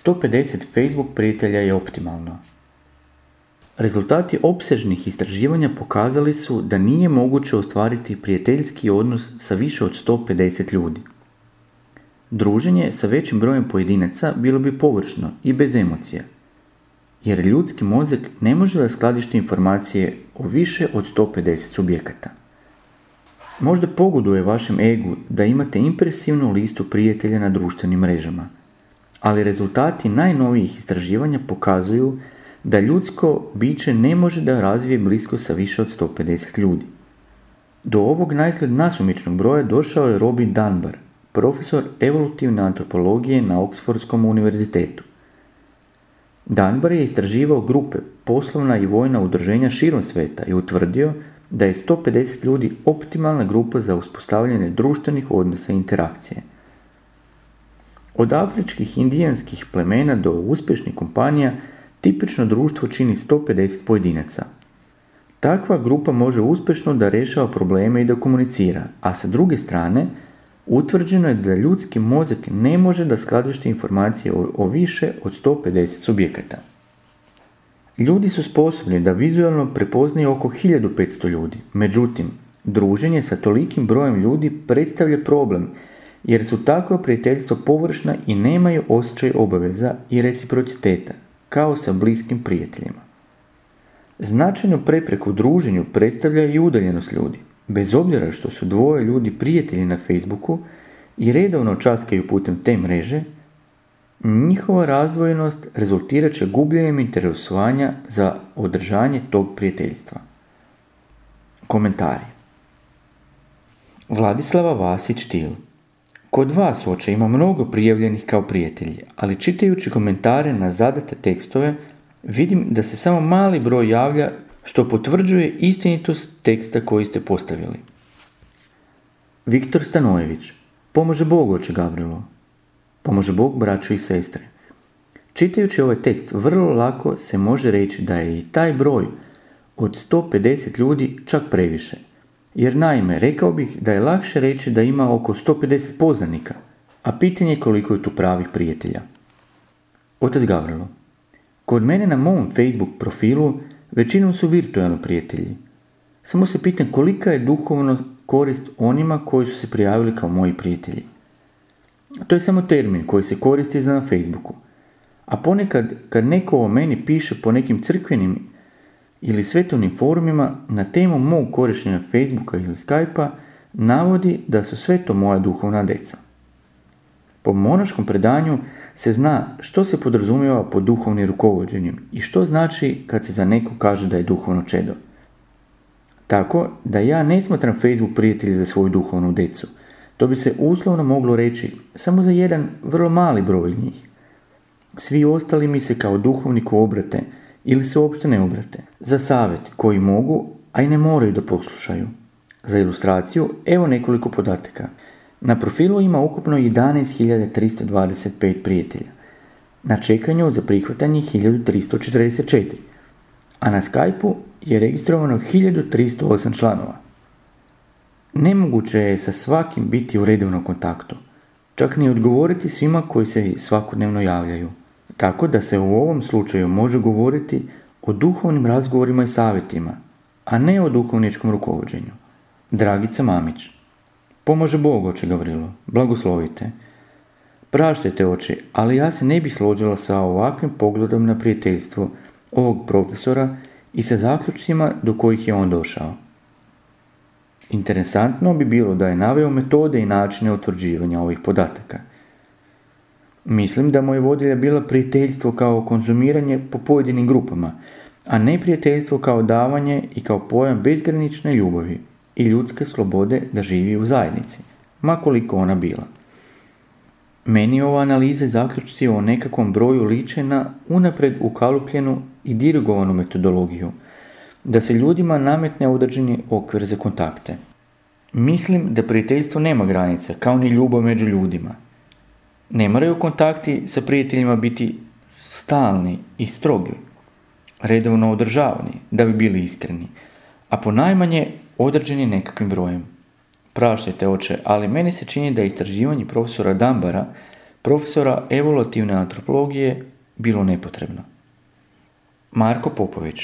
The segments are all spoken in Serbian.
"150 Facebook prijatelja je optimalno." Rezultati opsežnih istraživanja pokazali su da nije moguće ostvariti prijateljski odnos sa više od 150 ljudi. Druženje sa većim brojem pojedinaca bilo bi površno i bez emocija, jer ljudski mozak ne može raskladištiti informacije o više od 150 subjekata. Možda pogoduje vašem egu da imate impresivnu listu prijatelja na društvenim mrežama, ali rezultati najnovijih istraživanja pokazuju da ljudsko biće ne može da razvije bliskost sa više od 150 ljudi. Do ovog naizgled nasumičnog broja došao je Robin Dunbar, profesor evolutivne antropologije na Oxfordskom univerzitetu. Dunbar je istraživao grupe, poslovna i vojna udruženja širom sveta i utvrdio da je 150 ljudi optimalna grupa za uspostavljanje društvenih odnosa i interakcije. Od afričkih indijanskih plemena do uspješnih kompanija tipično društvo čini 150 pojedinaca. Takva grupa može uspješno da rješava probleme i da komunicira, a sa druge strane utvrđeno je da ljudski mozak ne može da skladišti informacije o više od 150 subjekata. Ljudi su sposobni da vizualno prepoznaju oko 1500 ljudi, međutim, druženje sa tolikim brojem ljudi predstavlja problem, jer su takva prijateljstva površna i nemaju osjećaj obaveza i reciprociteta, kao sa bliskim prijateljima. Značajnu prepreku druženju predstavlja i udaljenost ljudi. Bez obzira što su dvoje ljudi prijatelji na Facebooku i redovno časkaju putem te mreže, njihova razdvojenost rezultirat će gubljenjem interesovanja za održanje tog prijateljstva. Komentari. Vladislava Vasić-Til. Kod vas oče ima mnogo prijavljenih kao prijatelji, ali čitajući komentare na zadate tekstove vidim da se samo mali broj javlja, što potvrđuje istinitost teksta koji ste postavili. Viktor Stanojević. Pomože Bog, oče Gavrilo. Pomože Bog, braćo i sestre. Čitajući ovaj tekst, vrlo lako se može reći da je i taj broj od 150 ljudi čak previše. Jer naime, rekao bih da je lakše reći da ima oko 150 poznanika, a pitanje je koliko je tu pravih prijatelja. Otac Gavrilo. Kod mene na mom Facebook profilu većinom su virtualni prijatelji. Samo se pitam kolika je duhovno korist onima koji su se prijavili kao moji prijatelji. To je samo termin koji se koristi na Facebooku. A ponekad kad neko o meni piše po nekim crkvenim ili svetovnim forumima na temu mog korištenja Facebooka ili Skypea, navodi da su sve to moja duhovna deca. Po monaškom predanju se zna što se podrazumijeva pod duhovnim rukovođenjem i što znači kad se za neko kaže da je duhovno čedo. Tako da ja ne smatram Facebook prijatelji za svoju duhovnu decu. To bi se uslovno moglo reći samo za jedan vrlo mali broj njih. Svi ostali mi se kao duhovniku obrate ili se uopšte ne obrate. Za savjet koji mogu, a i ne moraju da poslušaju. Za ilustraciju, evo nekoliko podataka. Na profilu ima ukupno 11.325 prijatelja. Na čekanju za prihvatanje 1344. A na Skypeu je registrovano 1308 članova. Nemoguće je sa svakim biti u redovnom kontaktu. Čak ni odgovoriti svima koji se svakodnevno javljaju. Tako da se u ovom slučaju može govoriti o duhovnim razgovorima i savjetima, a ne o duhovničkom rukovođenju. Dragica Mamić. Pomaže Bog, oče Gavrilo, blagoslovite. Praštajte, oče, ali ja se ne bih složila sa ovakvim pogledom na prijateljstvo ovog profesora i sa zaključcima do kojih je on došao. Interesantno bi bilo da je naveo metode i načine utvrđivanja ovih podataka. Mislim da mu je vodilja bila prijateljstvo kao konzumiranje po pojedinim grupama, a ne prijateljstvo kao davanje i kao pojam bezgranične ljubavi i ljudske slobode da živi u zajednici, ma koliko ona bila. Meni ova analiza i zaključci o nekakvom broju liče na unapred ukalupljenu i dirigovanu metodologiju, da se ljudima nametne određeni okvir za kontakte. Mislim da prijateljstvo nema granice, kao ni ljubav među ljudima. Ne moraju kontakti sa prijateljima biti stalni i strogi, redovno održavani, da bi bili iskreni, a ponajmanje određeni nekakvim brojem. Praštajte, oče, ali meni se čini da je istraživanje profesora Dambara, profesora evolutivne antropologije, bilo nepotrebno. Marko Popović.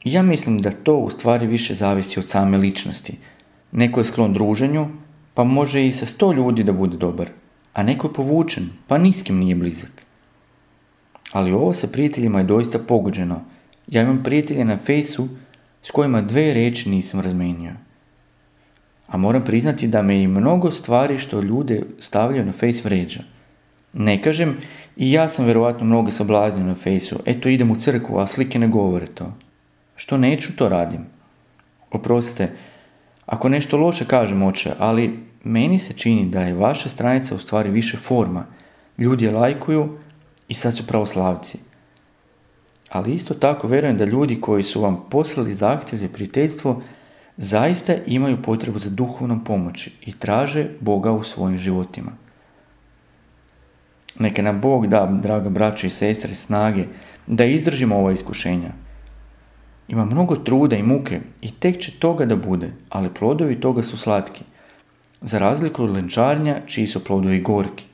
Ja mislim da to u stvari više zavisi od same ličnosti. Neko je sklon druženju, pa može i sa 100 ljudi da bude dobar, a neko je povučen, pa ni s kim nije blizak. Ali ovo sa prijateljima je doista pogođeno. Ja imam prijatelje na Fejsu s kojima 2 riječi nisam razmenio. A moram priznati da me i mnogo stvari što ljude stavljaju na Fejs vređa. Ne kažem, i ja sam vjerovatno mnogo sablaznio na Fejsu. Eto, idem u crkvu, a slike ne govore to. Što neću, to radim. Oprostite, ako nešto loše kažem, oče, ali meni se čini da je vaša stranica u stvari više forma. Ljudi je lajkuju i sad su pravoslavci. Ali isto tako vjerujem da ljudi koji su vam poslali zahtjev za prijateljstvo zaista imaju potrebu za duhovnom pomoći i traže Boga u svojim životima. Neka nam Bog da, draga braćo i sestre, snage da izdržimo ova iskušenja. Ima mnogo truda i muke i tek će toga da bude, ali plodovi toga su slatki, za razliku od lenčarnja čiji su plodovi gorki.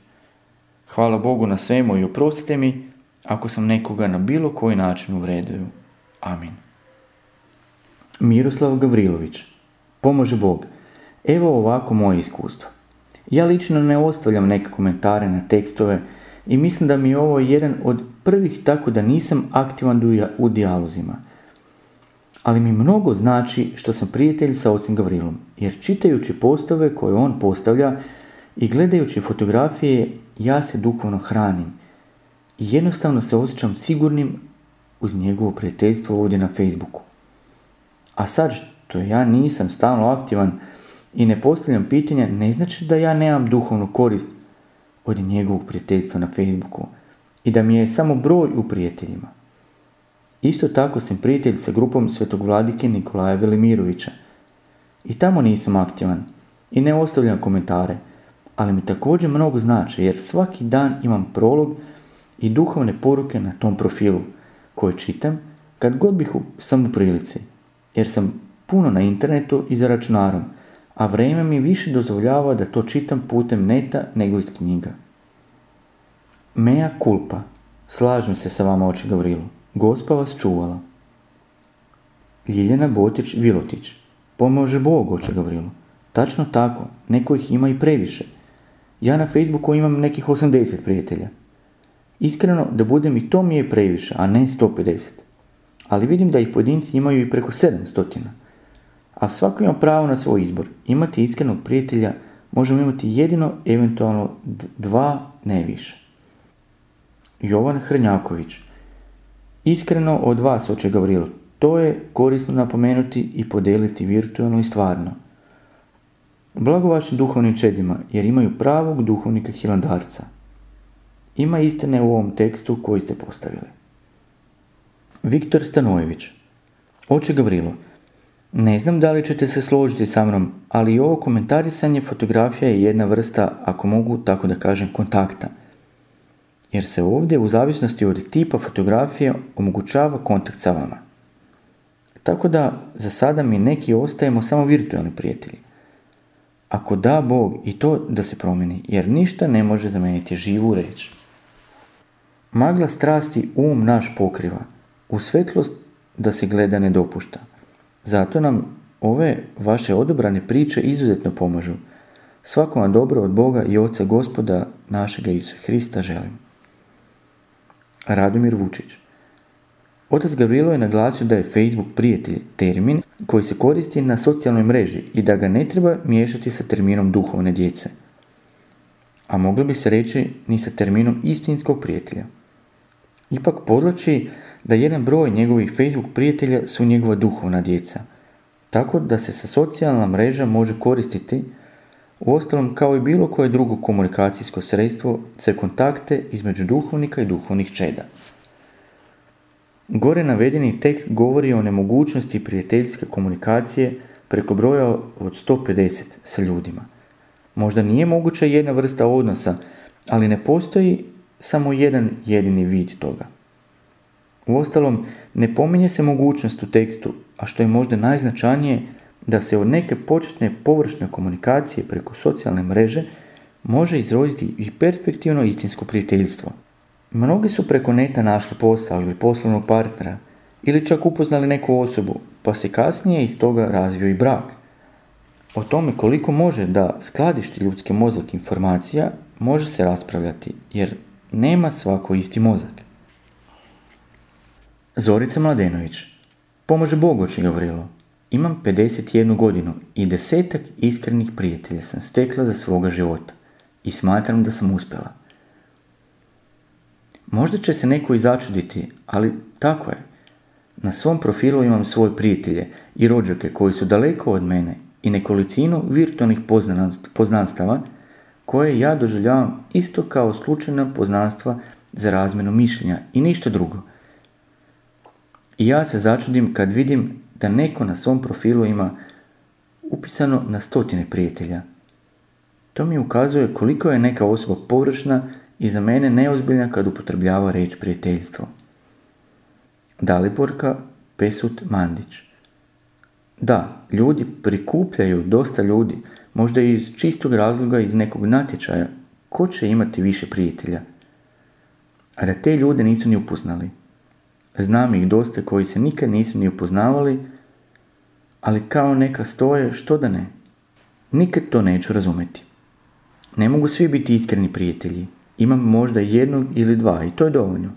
Hvala Bogu na svemu i oprostite mi ako sam nekoga na bilo koji način uvredio. Amin. Miroslav Gavrilović. Pomaže Bog. Evo ovako moje iskustvo. Ja lično ne ostavljam neke komentare na tekstove i mislim da mi je ovo jedan od prvih, tako da nisam aktivan u dijalozima. Ali mi mnogo znači što sam prijatelj sa ocem Gavrilom, jer čitajući postove koje on postavlja i gledajući fotografije, ja se duhovno hranim i jednostavno se osjećam sigurnim uz njegovo prijateljstvo ovdje na Facebooku. A sad što ja nisam stalno aktivan i ne postavljam pitanja, ne znači da ja nemam duhovnu korist od njegovog prijateljstva na Facebooku i da mi je samo broj u prijateljima. Isto tako sam prijatelj sa grupom svetog vladike Nikolaja Velimirovića i tamo nisam aktivan i ne ostavljam komentare, ali mi također mnogo znači jer svaki dan imam prolog i duhovne poruke na tom profilu koje čitam kad god sam u prilici, jer sam puno na internetu i za računarom, a vrijeme mi više dozvoljava da to čitam putem neta nego iz knjiga. Mea culpa. Slažem se sa vama, oče Gavrilu. Gospa vas čuvala. Ljiljana Botić Vilotić. Pomaže Bog, oče Gavrilu. Tačno tako, neko ih ima i previše. Ja na Facebooku imam nekih 80 prijatelja. Iskreno, da budem i to mi je previše, a ne 150. Ali vidim da ih pojedinci imaju i preko 700. A svako ima pravo na svoj izbor. Imati iskrenog prijatelja možemo imati jedino, eventualno 2, ne više. Jovan Hrnjaković. Iskreno od vas, oče Gavrilo, to je korisno napomenuti i podeliti virtualno i stvarno. Blago vašim duhovnim čedima, jer imaju pravog duhovnika Hilandarca. Ima istine u ovom tekstu koji ste postavili. Viktor Stanojević. Oče Gavrilo, ne znam da li ćete se složiti sa mnom, ali i ovo komentarisanje fotografija je jedna vrsta, ako mogu tako da kažem, kontakta. Jer se ovdje u zavisnosti od tipa fotografije omogućava kontakt sa vama. Tako da za sada mi neki ostajemo samo virtualni prijatelji. Ako da Bog i to da se promijeni, jer ništa ne može zameniti živu reč. Magla strasti naš pokriva, u svetlost da se gleda ne dopušta. Zato nam ove vaše odobrane priče izuzetno pomažu. Svako vam dobro od Boga i Oca Gospoda našega Isusa Hrista želim. Radomir Vučić. Otac Gavrilo je naglasio da je Facebook prijatelj termin koji se koristi na socijalnoj mreži i da ga ne treba miješati sa terminom duhovne djece. A moglo bi se reći ni sa terminom istinskog prijatelja. Ipak podlači da jedan broj njegovih Facebook prijatelja su njegova duhovna djeca, tako da se sa socijalna mreža može koristiti, uostalom kao i bilo koje drugo komunikacijsko sredstvo za kontakte između duhovnika i duhovnih čeda. Gore navedeni tekst govori o nemogućnosti prijateljske komunikacije preko broja od 150 sa ljudima. Možda nije moguća jedna vrsta odnosa, ali ne postoji samo jedan jedini vid toga. Uostalom, ne pominje se mogućnost u tekstu, a što je možda najznačajnije, da se od neke početne površne komunikacije preko socijalne mreže može izroditi i perspektivno istinsko prijateljstvo. Mnogi su preko neta našli posao ili poslovnog partnera, ili čak upoznali neku osobu, pa se kasnije iz toga razvio i brak. O tome koliko može da skladišti ljudski mozak informacija može se raspravljati, jer nema svako isti mozak. Zorica Mladenović. Pomaže Bog, oče Gavrilo. Imam 51 godinu i 10 iskrenih prijatelja sam stekla za svoga života i smatram da sam uspjela. Možda će se neko i začuditi, ali tako je. Na svom profilu imam svoje prijatelje i rođake koji su daleko od mene i nekolicinu virtualnih poznanstava koje ja doživljavam isto kao slučajna poznanstva za razmjenu mišljenja i ništa drugo. I ja se začudim kad vidim da neko na svom profilu ima upisano na 100 prijatelja. To mi ukazuje koliko je neka osoba površna i za mene neozbiljna kad upotrebljava riječ prijateljstvo. Daliborka Pesut Mandić. Da, ljudi prikupljaju dosta ljudi, možda iz čistog razloga iz nekog natječaja, ko će imati više prijatelja. A da te ljude nisu ni upoznali. Znam ih dosta koji se nikad nisu ni upoznavali, ali kao neka stoje, što da ne. Nikad to neću razumjeti. Ne mogu svi biti iskreni prijatelji. Imam možda 1 ili 2 i to je dovoljno.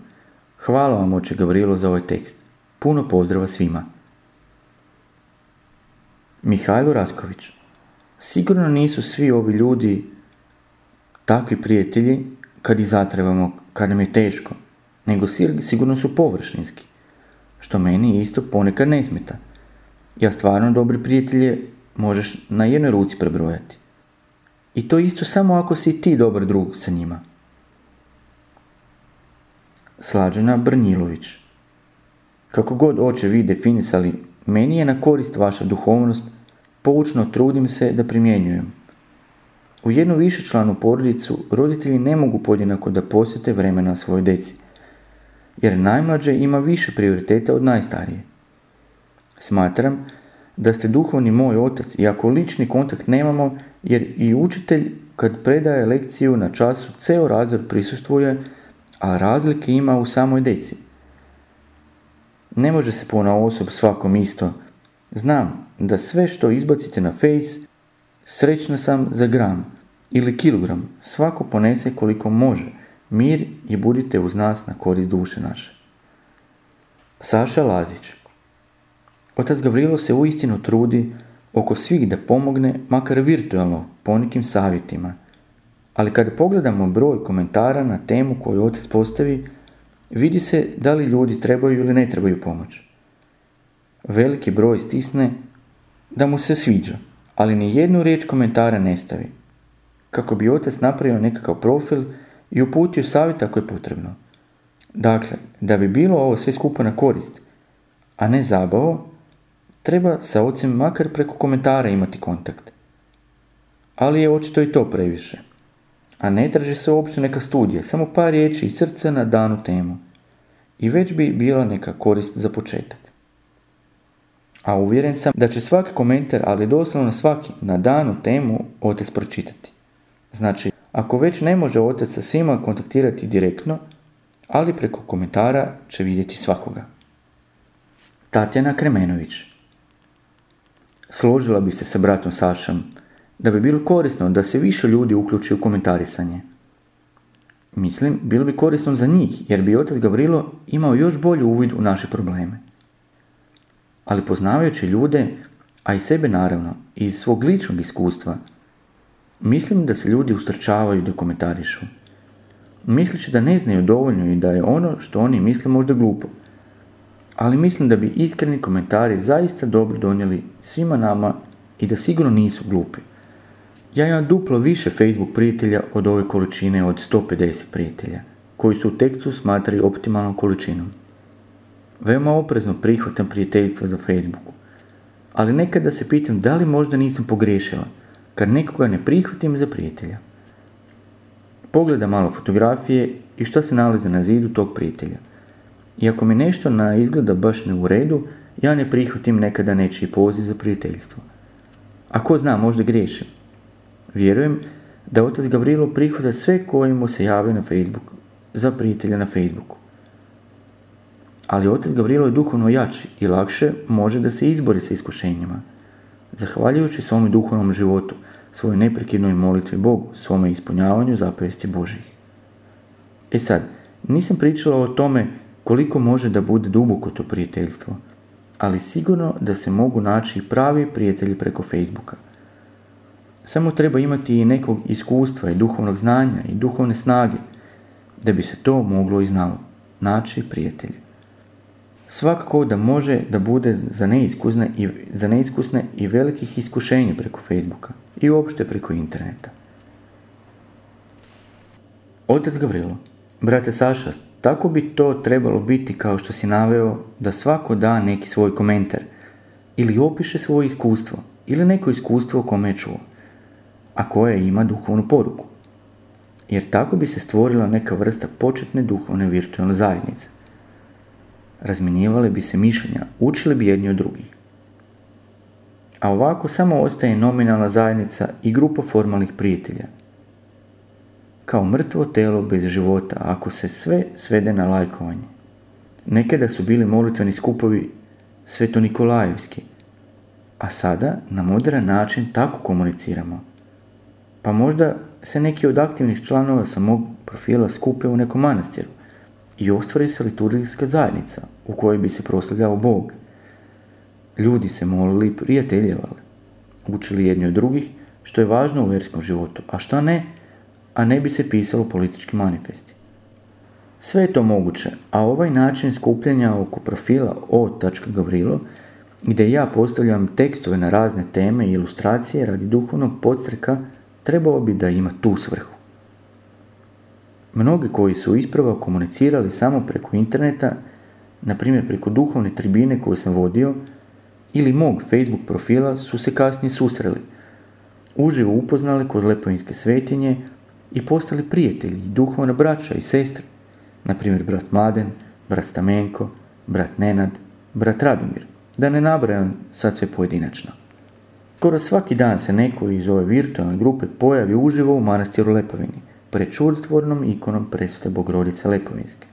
Hvala vam, oče Gavrilo, za ovaj tekst. Puno pozdrava svima. Mihajlo Rasković. Sigurno nisu svi ovi ljudi takvi prijatelji kad ih zatrebamo, kad nam je teško, nego sigurno su površinski, što meni isto ponekad ne smeta. Ja stvarno dobre prijatelje možeš na jednoj ruci prebrojati. I to isto samo ako si ti dobar drug sa njima. Slađana Brnjilović. Kako god, oče, vi definisali, meni je na korist vaša duhovnost, poučno trudim se da primjenjujem. U jednu višečlanu porodicu roditelji ne mogu podjednako da posvete vremena svojoj djeci, jer najmlađe ima više prioriteta od najstarije. Smatram da ste duhovni moj otac, iako lični kontakt nemamo, jer i učitelj kad predaje lekciju na času ceo razred prisustvuje, a razlike ima u samoj djeci. Ne može se ponaosob svakom isto. Znam da sve što izbacite na Face srećna sam za gram ili kilogram, svako ponese koliko može, mir i budite uz nas na korist duše naše. Saša Lazić. Otac Gavrilo se uistinu trudi oko svih da pomogne, makar virtualno, ponekim savjetima. Ali kada pogledamo broj komentara na temu koju otac postavi, vidi se da li ljudi trebaju ili ne trebaju pomoć. Veliki broj stisne da mu se sviđa, ali ni jednu riječ komentara ne stavi, kako bi otac napravio nekakav profil i uputio savjet ako je potrebno. Dakle, da bi bilo ovo sve skupa na korist, a ne zabavo, treba sa ocem makar preko komentara imati kontakt. Ali je očito i to previše. A ne traži se uopće neka studija, samo par riječi i srca na danu temu. I već bi bila neka korist za početak. A uvjeren sam da će svaki komentar, ali doslovno svaki, na danu temu otac pročitati. Znači, ako već ne može otac sa svima kontaktirati direktno, ali preko komentara će vidjeti svakoga. Tatjana Kremenović. Složila bi se sa bratom Sašom da bi bilo korisno da se više ljudi uključi u komentarisanje. Mislim, bilo bi korisno za njih, jer bi otac Gavrilo imao još bolji uvid u naše probleme. Ali poznavajući ljude, a i sebe naravno, iz svog ličnog iskustva, mislim da se ljudi ustrčavaju da komentarišu. Misleći da ne znaju dovoljno i da je ono što oni misle možda glupo. Ali mislim da bi iskreni komentari zaista dobro donijeli svima nama i da sigurno nisu glupi. Ja imam duplo više Facebook prijatelja od ove količine od 150 prijatelja, koji su u tekstu smatrali optimalnom količinom. Veoma oprezno prihvatam prijateljstva za Facebooku, ali nekada se pitam da li možda nisam pogriješila, kad nekoga ne prihvatim za prijatelja. Pogledam malo fotografije i šta se nalazi na zidu tog prijatelja. I ako mi nešto na izgleda baš ne u redu, ja ne prihvatim nekada nečiji poziv za prijateljstvo. A ko zna, možda griješim. Vjerujem da otac Gavrilo prihvata sve koji mu se jave na Facebook, za prijatelja na Facebooku. Ali otac Gavrilo je duhovno jači i lakše može da se izbori sa iskušenjima. Zahvaljujući svome duhovnom životu, svojoj neprekidnoj molitvi Bogu, svome ispunjavanju zapovesti Božjih. E sad, nisam pričala o tome koliko može da bude duboko to prijateljstvo, ali sigurno da se mogu naći pravi prijatelji preko Facebooka. Samo treba imati i nekog iskustva i duhovnog znanja i duhovne snage, da bi se to moglo i znalo, naći prijatelje. Svakako da može da bude za neiskusne i velikih iskušenja preko Facebooka i uopšte preko interneta. Otac Gavrilo, brate Saša, tako bi to trebalo biti kao što si naveo da svako da neki svoj komentar ili opiše svoje iskustvo ili neko iskustvo o kome je čuo, a koje ima duhovnu poruku. Jer tako bi se stvorila neka vrsta početne duhovne virtualne zajednice. Razmjenjivale bi se mišljenja, učili bi jedni od drugih. A ovako samo ostaje nominalna zajednica i grupa formalnih prijatelja. Kao mrtvo telo bez života, ako se sve svede na lajkovanje. Nekada su bili molitveni skupovi svetonikolajevski, a sada na modern način tako komuniciramo. Pa možda se neki od aktivnih članova sa mog profila skupe u nekom manastiru i ostvari se liturgijska zajednica u kojoj bi se proslavljao Bog. Ljudi se molili i prijateljevali, učili jedni od drugih, što je važno u vjerskom životu, a šta ne, a ne bi se pisalo politički manifesti. Sve je to moguće, a ovaj način skupljanja oko profila o.gavrilo, gdje ja postavljam tekstove na razne teme i ilustracije radi duhovnog podstreka, trebao bi da ima tu svrhu. Mnogi koji su isprva komunicirali samo preko interneta, na primjer preko duhovne tribine koju sam vodio, ili mog Facebook profila, su se kasnije susreli, uživo upoznali kod Lepovinske svetinje i postali prijatelji i duhovna braća i sestre, na primjer brat Mladen, brat Stamenko, brat Nenad, brat Radomir, da ne nabrajam sad sve pojedinačno. Skoro svaki dan se neko iz ove virtualne grupe pojavi uživo u manastiru Lepovini, pred čudotvornom ikonom Presvete Bogorodice Lepovinske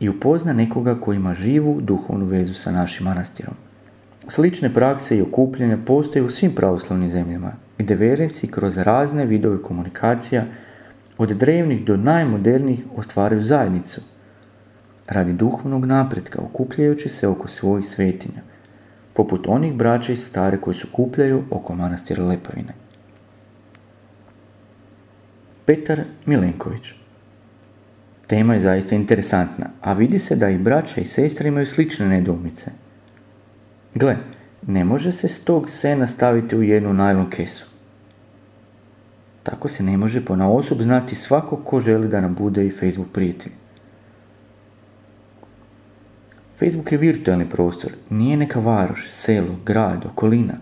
i upozna nekoga koji ima živu duhovnu vezu sa našim manastirom. Slične prakse i okupljanja postoje u svim pravoslavnim zemljama gdje vjernici kroz razne vidove komunikacija od drevnih do najmodernijih ostvaruju zajednicu radi duhovnog napretka, okupljajući se oko svojih svetinja, poput onih braća i sestara koji se okupljaju oko manastira Lepavine. Petar Milenković. Tema je zaista interesantna, a vidi se da i braća i sestre imaju slične nedoumice. Gle, ne može se s tog sena staviti u jednu najlon kesu. Tako se ne može ponaosob znati svako ko želi da nam bude i Facebook prijatelj. Facebook je virtualni prostor, nije neka varoš, selo, grad, okolina,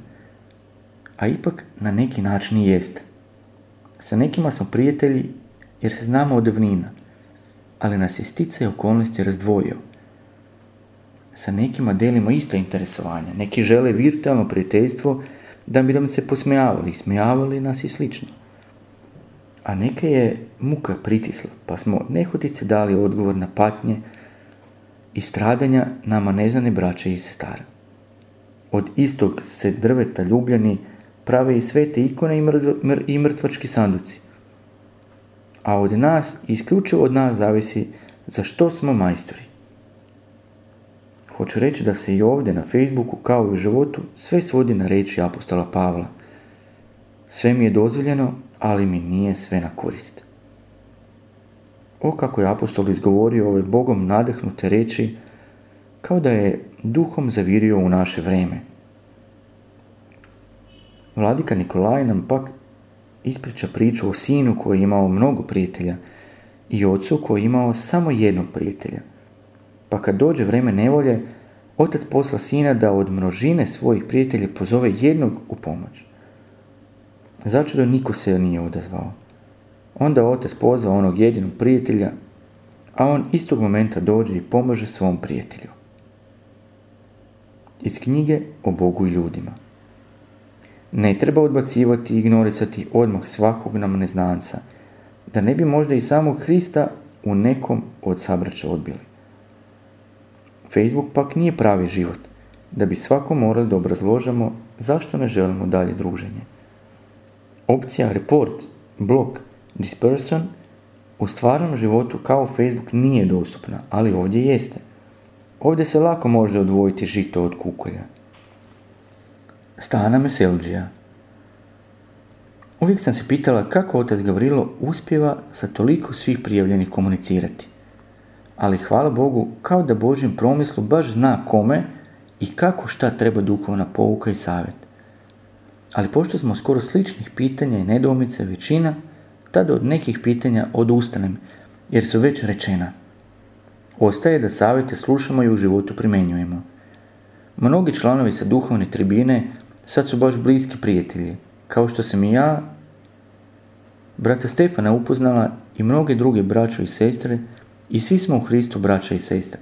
a ipak na neki način i jeste. Sa nekima smo prijatelji jer se znamo od davnina, ali nas je sticaj okolnosti razdvojio. Sa nekima delimo ista interesovanja, neki žele virtualno prijateljstvo da bi nam se posmejavali, smijavali nas i slično. A neke je muka pritisla, pa smo nehotice dali odgovor na patnje i stradanja nama neznane braće i sestara. Od istog se drveta ljubljeni prave i svete ikone i mrtvački sanduci. A od nas, isključivo od nas, zavisi za što smo majstori. Hoću reći da se i ovdje na Facebooku, kao i u životu, sve svodi na riječi apostola Pavla. Sve mi je dozvoljeno, ali mi nije sve na korist. O kako je apostol izgovorio ove Bogom nadahnute riječi, kao da je duhom zavirio u naše vreme. Vladika Nikolaj nam pak ispriča priču o sinu koji je imao mnogo prijatelja i ocu koji je imao samo jednog prijatelja. Pa kad dođe vrijeme nevolje, otac posla sina da od množine svojih prijatelja pozove jednog u pomoć. Začudo niko se nije odazvao. Onda otac pozva onog jedinog prijatelja, a on istog momenta dođe i pomože svom prijatelju. Iz knjige o Bogu i ljudima. Ne treba odbacivati i ignorisati odmah svakog nam neznanca, da ne bi možda i samog Hrista u nekom od sabraća odbili. Facebook pak nije pravi život, da bi svako morali da obrazložimo zašto ne želimo dalje druženje. Opcija report, blok, dispersion u stvarnom životu kao Facebook nije dostupna, ali ovdje jeste. Ovdje se lako može odvojiti žito od kukolja. Stana Meselđija. Uvijek sam se pitala kako otac Gavrilo uspijeva sa toliko svih prijavljenih komunicirati. Ali hvala Bogu, kao da Božjem promislu baš zna kome i kako šta treba duhovna pouka i savjet. Ali pošto smo skoro sličnih pitanja i nedoumice većina, tada od nekih pitanja odustanem, jer su već rečena. Ostaje da savjete slušamo i u životu primjenjujemo. Mnogi članovi sa duhovne tribine sad su baš bliski prijatelji, kao što sam i ja, brata Stefana upoznala i mnoge druge braćo i sestre, i svi smo u Hristu braća i sestre.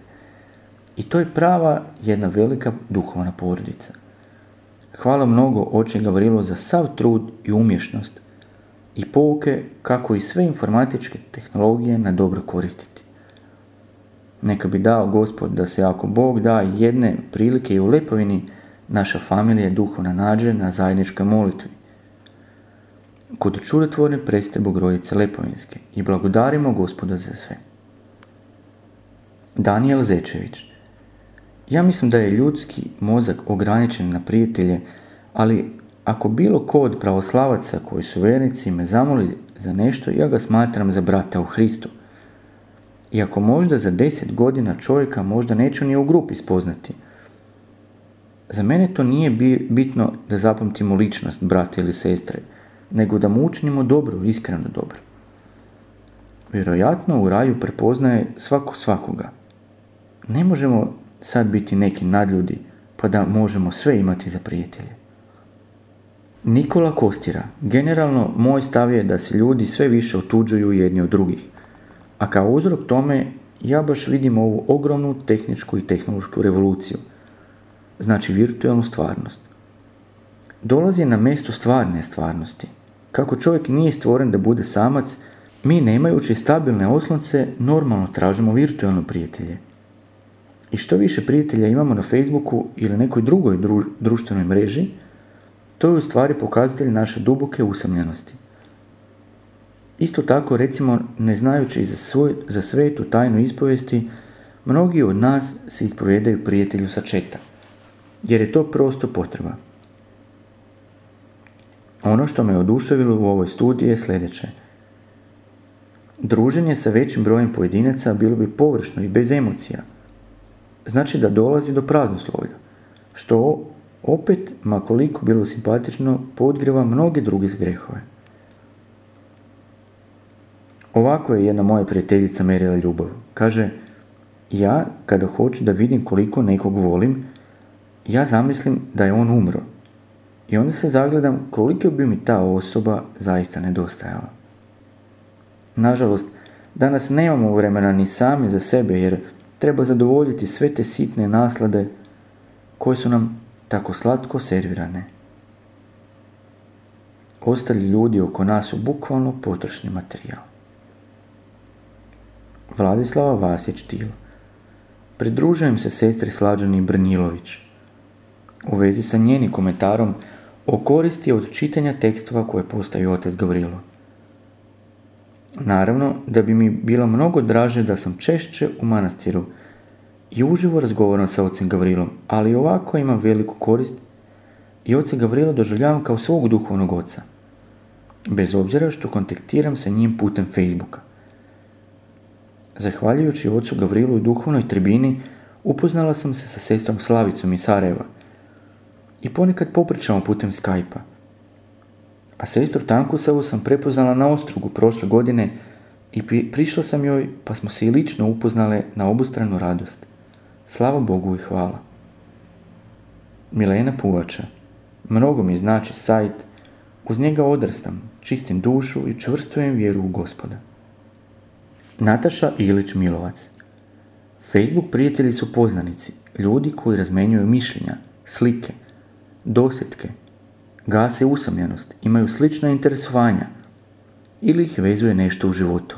I to je prava jedna velika duhovna porodica. Hvala mnogo oče Gavrilo za sav trud i umješnost i pouke kako i sve informatičke tehnologije na dobro koristiti. Neka bi dao Gospod da se ako Bog da jedne prilike i u Lepavini, naša familija duhovna nađe na zajedničkoj molitvi. Kod čudotvorne preste Bogorodice Lepavinske i blagodarimo Gospoda za sve. Danijel Zečević. Ja mislim da je ljudski mozak ograničen na prijatelje, ali ako bilo ko od pravoslavaca koji su vjernici me zamoli za nešto, ja ga smatram za brata u Hristu. Iako možda za 10 godina čovjeka možda neću ni u grupi spoznati. Za mene to nije bitno da zapamtimo ličnost brata ili sestre, nego da mu učinimo dobro, iskreno dobro. Vjerojatno u raju prepoznaje svako svakoga. Ne možemo sad biti neki nadljudi, pa da možemo sve imati za prijatelje. Nikola Kostira. Generalno, moj stav je da se ljudi sve više otuđuju jedni od drugih. A kao uzrok tome, ja baš vidim ovu ogromnu tehničku i tehnološku revoluciju. Znači virtualnu stvarnost. Dolazi na mjesto stvarne stvarnosti. Kako čovjek nije stvoren da bude samac, mi nemajući stabilne oslonce normalno tražimo virtualno prijatelje. I što više prijatelja imamo na Facebooku ili nekoj drugoj društvenoj mreži, To je u stvari pokazatelj naše duboke usamljenosti. Isto tako, recimo, ne znajući za svetu tajnu ispovesti, mnogi od nas se ispovedaju prijatelju sa četa, jer je to prosto potreba. Ono što me oduševilo u ovoj studiji je sljedeće. Druženje sa većim brojem pojedinaca bilo bi površno i bez emocija. Znači da dolazi do praznoslovlja, što opet, ma koliko bilo simpatično, podgrijeva mnoge druge grehove. Ovako je jedna moja prijateljica mjerila ljubav. Kaže, ja kada hoću da vidim koliko nekog volim, ja zamislim da je on umro. I onda se zagledam koliko bi mi ta osoba zaista nedostajala. Nažalost, danas nemamo vremena ni sami za sebe jer treba zadovoljiti sve te sitne naslade koje su nam tako slatko servirane. Ostali ljudi oko nas su bukvalno potrošni materijal. Vladislava Vasić-Til. Pridružujem se sestri Slađani Brnjilović u vezi sa njenim komentarom o koristi od čitanja tekstova koje postavi otac Gavrilo. Naravno da bi mi bilo mnogo draže da sam češće u manastiru i uživo razgovaram sa ocem Gavrilom, ali ovako imam veliku korist i oca Gavrila doživljavam kao svog duhovnog oca, bez obzira što kontaktiram sa njim putem Facebooka. Zahvaljujući ocu Gavrilu i duhovnoj tribini, upoznala sam se sa sestrom Slavicom iz Sarajeva i ponekad popričamo putem Skype-a. A sestru Tankusavu sam prepoznala na Ostrugu prošle godine i prišla sam joj pa smo se i lično upoznale na obostranu radost. Slava Bogu i hvala. Milena Puvača. Mnogo mi znači sajt, uz njega odrastam, čistim dušu i čvrstujem vjeru u Gospoda. Nataša Ilić Milovac. Facebook prijatelji su poznanici, ljudi koji razmenjuju mišljenja, slike, dosjetke, gase usamljenost, imaju slična interesovanja ili ih vezuje nešto u životu.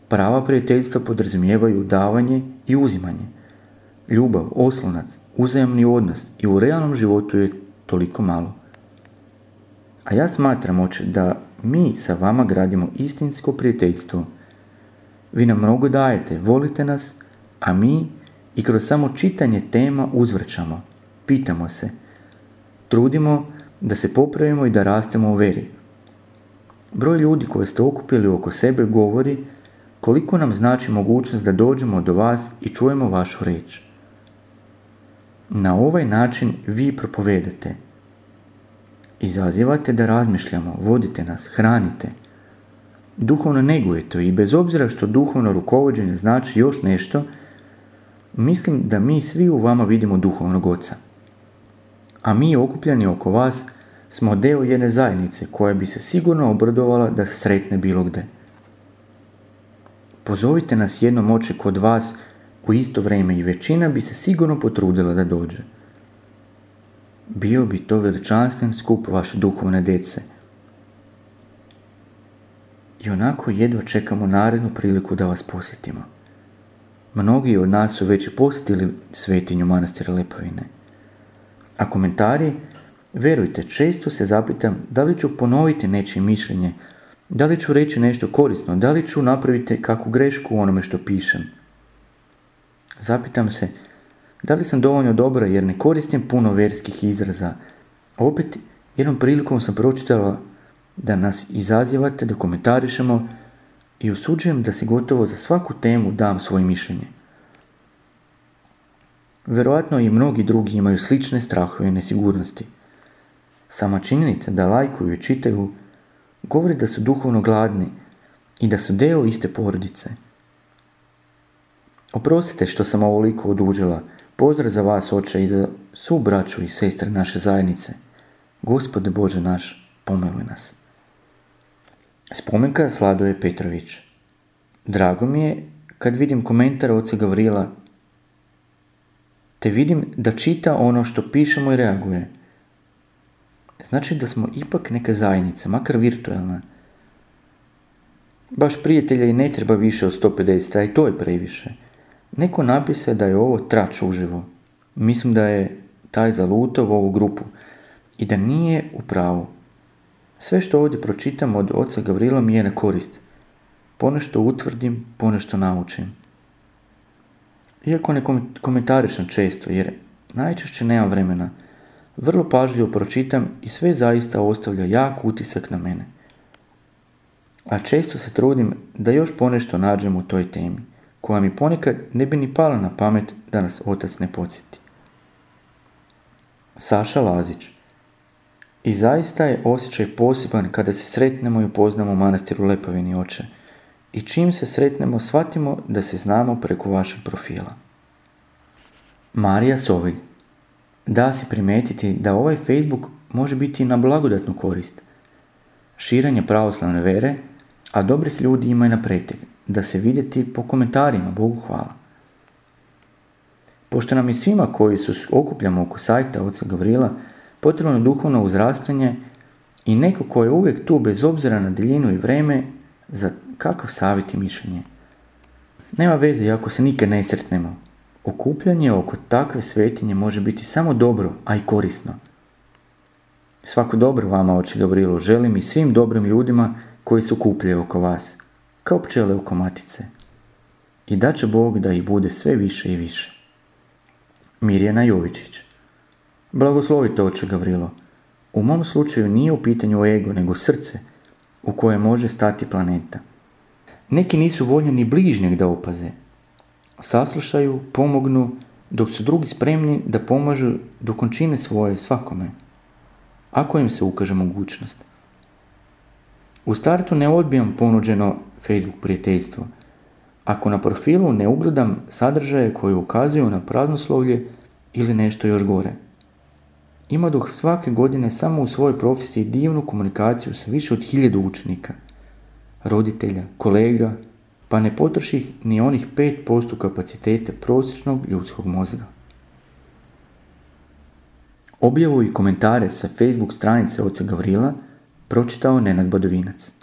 Prava prijateljstva podrazumijevaju davanje i uzimanje, ljubav, oslonac, uzajamni odnos i u realnom životu je toliko malo. A ja smatram, oče, da mi sa vama gradimo istinsko prijateljstvo. Vi nam mnogo dajete, volite nas, a mi i kroz samo čitanje tema uzvrćamo, pitamo se, trudimo da se popravimo i da rastemo u veri. Broj ljudi koje ste okupili oko sebe govori koliko nam znači mogućnost da dođemo do vas i čujemo vašu riječ. Na ovaj način vi propovedate. Izazivate da razmišljamo, vodite nas, hranite. Duhovno negujete i bez obzira što duhovno rukovođenje znači još nešto, mislim da mi svi u vama vidimo duhovnog oca. A mi okupljeni oko vas smo dio jedne zajednice koja bi se sigurno obradovala da se sretne bilo gde. Pozovite nas jednom, oče, kod vas u isto vrijeme i većina bi se sigurno potrudila da dođe. Bio bi to veličanstven skup vaše duhovne djece. I onako jedva čekamo narednu priliku da vas posjetimo. Mnogi od nas su već posjetili svetinju manastira Lepovine. A komentari, vjerujte, često se zapitam da li ću ponoviti nečije mišljenje, da li ću reći nešto korisno, da li ću napraviti kakvu grešku u onome što pišem. Zapitam se, da li sam dovoljno dobra jer ne koristim puno verskih izraza. Opet, jednom prilikom sam pročitala da nas izazivate, da komentarišemo i osuđujem da si gotovo za svaku temu dam svoje mišljenje. Vjerojatno i mnogi drugi imaju slične strahove i nesigurnosti. Sama činjenica da lajkuju i čitaju govori da su duhovno gladni i da su dio iste porodice. Oprostite što sam ovoliko odužila. Pozdrav za vas, oče, i za svu braću i sestre naše zajednice. Gospode Bože naš, pomiluj nas. Spomenka Sladoje Petrović. Drago mi je kad vidim komentar oca Gavrila, te vidim da čita ono što pišemo i reaguje. Znači da smo ipak neka zajednica, makar virtualna. Baš prijatelja i ne treba više od 150, a i to je previše. Neko napise da je ovo trač uživo. Mislim da je taj zalutao u ovu grupu. i da nije u pravu. Sve što ovdje pročitam od oca Gavrila mi je na korist. Ponešto utvrdim, ponešto naučim. Iako ne komentarišem često, jer najčešće nemam vremena, vrlo pažljivo pročitam i sve zaista ostavlja jak utisak na mene. A često se trudim da još ponešto nađem u toj temi, koja mi ponekad ne bi ni pala na pamet da nas otac ne podsjeti. Saša Lazić. I zaista je osjećaj poseban kada se sretnemo i upoznamo u manastiru Lepavini, oče. I čim se sretnemo, shvatimo da se znamo preko vašeg profila. Marija Sovilj. Da si primetiti da ovaj Facebook može biti na blagodatnu korist. Širenje pravoslavne vere, a dobrih ljudi ima i na pretek, da se vidjeti po komentarima, Bogu hvala. Pošto nam i svima koji se okupljamo oko sajta oca Gavrila potrebno duhovno uzrastanje i neko ko je uvijek tu bez obzira na daljinu i vreme za kakav savjet i mišljenje. Nema veze ako se nikad ne sretnemo. Okupljanje oko takve svetinje može biti samo dobro, a i korisno. Svako dobro vama, oče Gavrilo, želim i svim dobrim ljudima koji se okupljaju oko vas, kao pčele oko matice. I da će Bog da ih bude sve više i više. Mirjana Jovičić. Blagoslovite, oče Gavrilo. U mom slučaju nije u pitanju ego, nego srce u koje može stati planeta. Neki nisu voljni ni bližnjeg da opaze. Saslušaju, pomognu, dok su drugi spremni da pomažu dok on čine svoje svakome, ako im se ukaže mogućnost. U startu ne odbijam ponuđeno Facebook prijateljstvo, ako na profilu ne ugledam sadržaje koji ukazuju na praznoslovlje ili nešto još gore. Imadoh svake godine samo u svojoj profesiji divnu komunikaciju sa više od 1000 učenika, roditelja, kolega, pa ne potroših ni onih 5% kapaciteta prosječnog ljudskog mozga. Objavu i komentare sa Facebook stranice oca Gavrila pročitao Nenad Badovinac.